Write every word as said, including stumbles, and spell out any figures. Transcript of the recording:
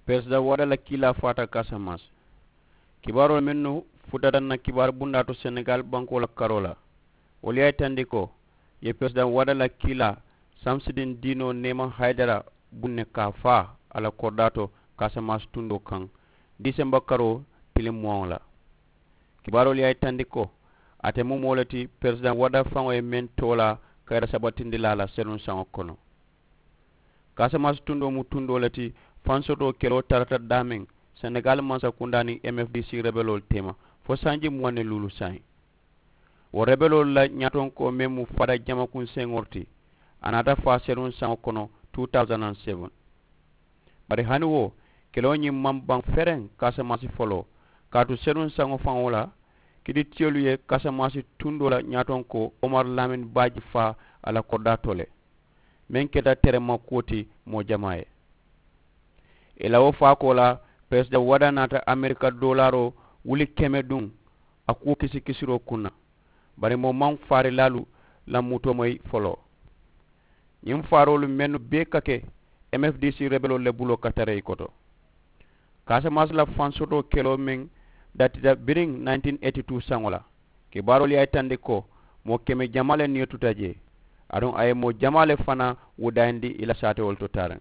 Peresidaŋ wada la kiilaa faata kaasamaasi. Kibaaroo mennu futata na kibaari bundaa to senegaali bankoo la karoo la, wolu ye a yitandi ko i ye peresidaŋ wada la kiilaa samsidiŋ diinoo neema hayidara buŋ ne ka a faa a la koridaa to kaasamaasi tundoo kaŋ, diisemba karoo tiliŋ muwaŋo la. Kibaaroolu ye a yitandi ko ate mu moo le ti peresidaŋ wada faŋo ye meŋ toolaa kayira sabatindilaa la senuŋ saŋo kono. Kaasamaasi tundoo mu tundoo le ti fansotoo keloo tarata daameŋ senegaali mansakundaa niŋ m f d c rebeloolu teema fo sanji muwaŋ ni luulu saayiŋ. Wo rebeloolu la ñaatonkoo meŋ mu fada jamakunseŋo le ti a naata faa senuŋ saŋo kono two thousand and seven. Bari hani wo keloo ñiŋ maŋ baŋ fereŋ kaasamaasi foloo kaatu senuŋ saŋo faŋo la kiditiyolu ye kaasamaasi tundoo la ñaatonkoo omar lamin baaji faa a la koridaa to le. Meŋ keta terema kuwo ti moo jamaa ye. I la wo faakoo la peresidaŋ wada naata amerika doolaaroo wuli keme duŋ a kuwo kisikisiroo kuŋ na. Bari moo maŋ faarilaalu la mutoo moyi foloo. Ñiŋ faaroolu mennu bee ka ke m f d c rebeloolu le buloo ka tara i koto. Kaasamaasi la fansotoo keloo meŋ datita biriŋ nineteen eighty two saŋo la kibaaroolu ye a yitandi ko moo keme jamaa le niyo tuta jee aduŋ a ye moo jamaa le fanaa wudayindi i la saatewolu to taariŋ.